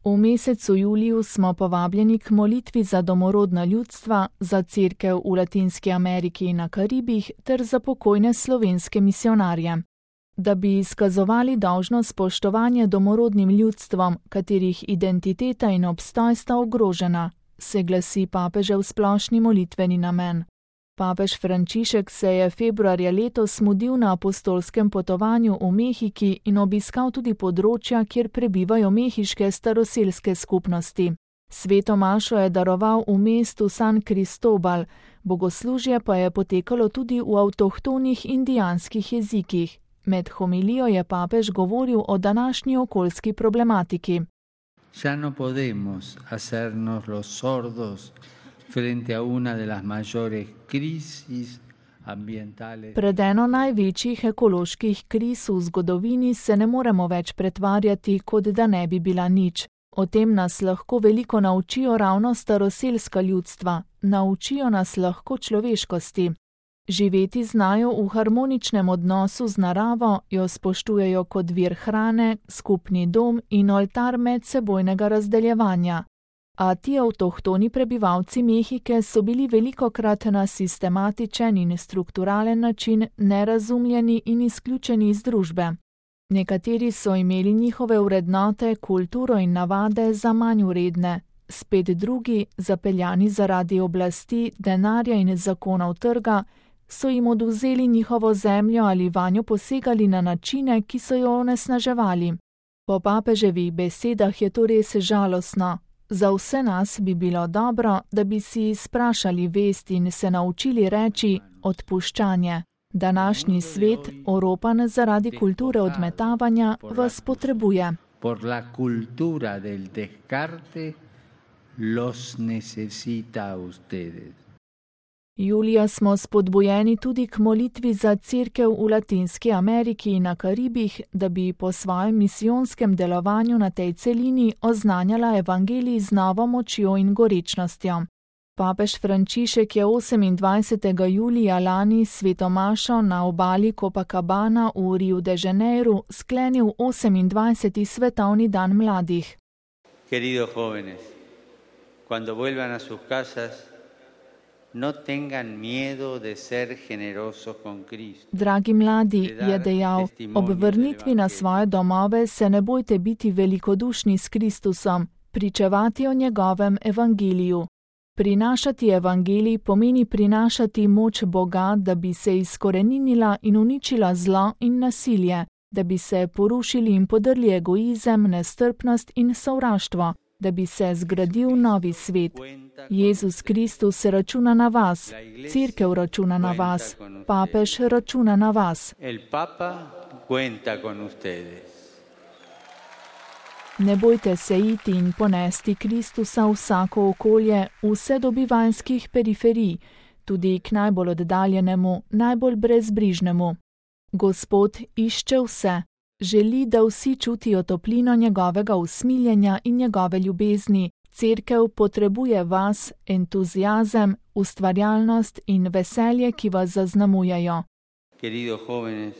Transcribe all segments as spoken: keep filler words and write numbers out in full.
V mesecu juliju smo povabljeni k molitvi za domorodna ljudstva, za cerkev v Latinski Ameriki in na Karibih ter za pokojne slovenske misijonarje. Da bi izkazovali dolžno spoštovanje domorodnim ljudstvom, katerih identiteta in obstoj sta ogrožena, se glasi papežev splošni molitveni namen. Papež Frančišek se je februarja letos mudil na apostolskem potovanju v Mehiki in obiskal tudi področja, kjer prebivajo mehiške staroselske skupnosti. Sveto mašo je daroval v mestu San Cristobal, bogoslužje pa je potekalo tudi v avtohtonih indijanskih jezikih. Med homilijo je papež govoril o današnji okoljski problematiki. Ya no podemos hacernos los sordos frente a una de las mayores crisis ambientales. Pred eno največjih ekoloških kriz v zgodovini se ne moremo več pretvarjati, kot da ne bi bila nič. O tem nas lahko veliko naučijo ravno staroselska ljudstva, naučijo nas lahko človeškosti. Živeti znajo v harmoničnem odnosu z naravo, jo spoštujejo kot vir hrane, skupni dom in oltar medsebojnega razdeljevanja. A ti avtohtoni prebivalci Mehike so bili velikokrat na sistematičen in strukturalen način nerazumljeni in izključeni iz družbe. Nekateri so imeli njihove vrednote, kulturo in navade za manj vredne, spet drugi, zapeljani zaradi oblasti, denarja in zakonov trga, so jim odvzeli njihovo zemljo ali vanjo posegali na načine, ki so jo onesnaževali. Po papeževih besedah je to res žalostno. Za vse nas bi bilo dobro, da bi si izprašali vest in se naučili reči odpuščanje. Današnji svet, oropan zaradi kulture odmetavanja, vas potrebuje. Por la cultura del descarte los necesita a ustedes. Julija smo spodbujeni tudi k molitvi za cerkev v Latinski Ameriki in na Karibih, da bi po svojem misijonskem delovanju na tej celini oznanjala evangelij z novo močjo in gorečnostjo. Papež Frančišek je osemindvajsetega julija lani sveto mašo na obali Copacabana v Riu de Janeiru sklenil osemindvajseti svetovni dan mladih. Queridos jóvenes, cuando vuelvan a sus casas, no tengan miedo de ser generosos con Cristo. Dragi mladi, je dejal, ob vrnitvi na svoje domove se ne bojte biti velikodušni s Kristusom, pričevati o njegovem evangeliju. Prinašati evangelij pomeni prinašati moč Boga, da bi se izkoreninila in uničila zlo in nasilje, da bi se porušili in podrli egoizem, nestrpnost in sovraštvo, da bi se zgradil novi svet. Jezus Kristus se računa na vas, cerkev računa na vas, papež računa na vas. El Papa cuenta con ustedes. Ne bojte se iti in ponesti Kristusa v vsako okolje, vse do bivanjskih periferij, tudi k najbolj oddaljenemu, najbolj brezbrižnemu. Gospod išče vse, želi, da vsi čutijo toplino njegovega usmiljenja in njegove ljubezni. Cerkev potrebuje vas, entuziazem, ustvarjalnost in veselje, ki vas zaznamujejo. Queridos jóvenes,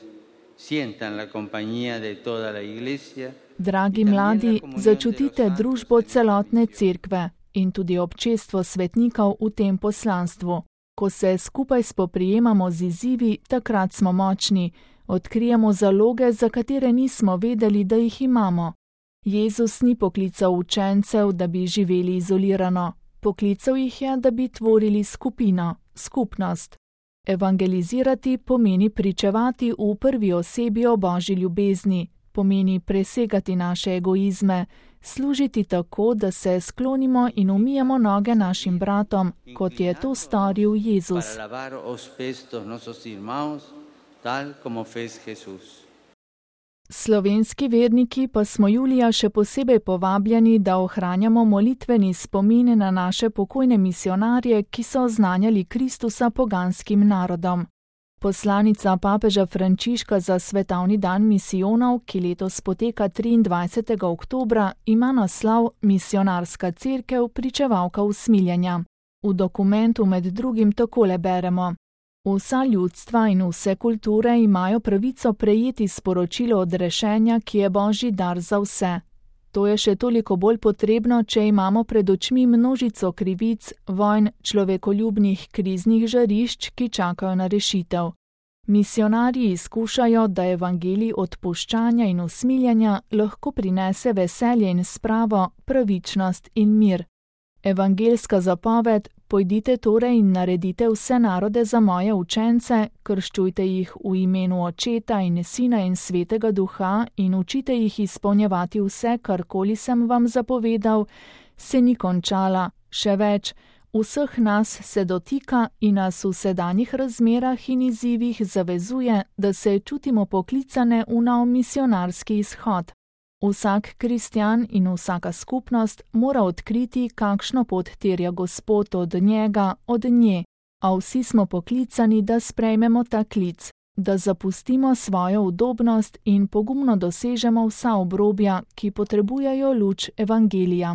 sientan la compañía de toda la iglesia. Dragi mladi, začutite družbo celotne cerkve in tudi občestvo svetnikov v tem poslanstvu. Ko se skupaj spoprijemamo z izzivi, takrat smo močni, odkrijemo zaloge, za katere nismo vedeli, da jih imamo. Jezus ni poklical učencev, da bi živeli izolirano. Poklical jih je, da bi tvorili skupino, skupnost. Evangelizirati pomeni pričevati v prvi osebi o Božji ljubezni, pomeni presegati naše egoizme, služiti tako, da se sklonimo in umijemo noge našim bratom, kot je to storil Jezus. Slovenski verniki pa smo julija še posebej povabljeni, da ohranjamo molitveni spomin na naše pokojne misijonarje, ki so oznanjali Kristusa poganskim narodom. Poslanica papeža Frančiška za svetovni dan misijonov, ki letos poteka triindvajsetega oktobra, ima naslov Misijonarska cerkev, pričevalka usmiljenja. V dokumentu med drugim takole beremo: Vsa ljudstva in vse kulture imajo pravico prejeti sporočilo odrešenja, ki je Božji dar za vse. To je še toliko bolj potrebno, če imamo pred očmi množico krivic, vojn, človekoljubnih kriznih žarišč, ki čakajo na rešitev. Misionarji izkušajo, da evangelij odpuščanja in usmiljenja lahko prinese veselje in spravo, pravičnost in mir. Evangelska zapoved: pojdite torej in naredite vse narode za moje učence, krščujte jih v imenu Očeta in Sina in Svetega Duha in učite jih izpolnjevati vse, karkoli sem vam zapovedal, se ni končala, še več. Vseh nas se dotika in nas v sedanjih razmerah in izzivih zavezuje, da se čutimo poklicane v nov misionarski izhod. Vsak kristjan in vsaka skupnost mora odkriti, kakšno pot terja Gospod od njega, od nje, a vsi smo poklicani, da sprejmemo ta klic, da zapustimo svojo udobnost in pogumno dosežemo vsa obrobja, ki potrebujejo luč evangelija.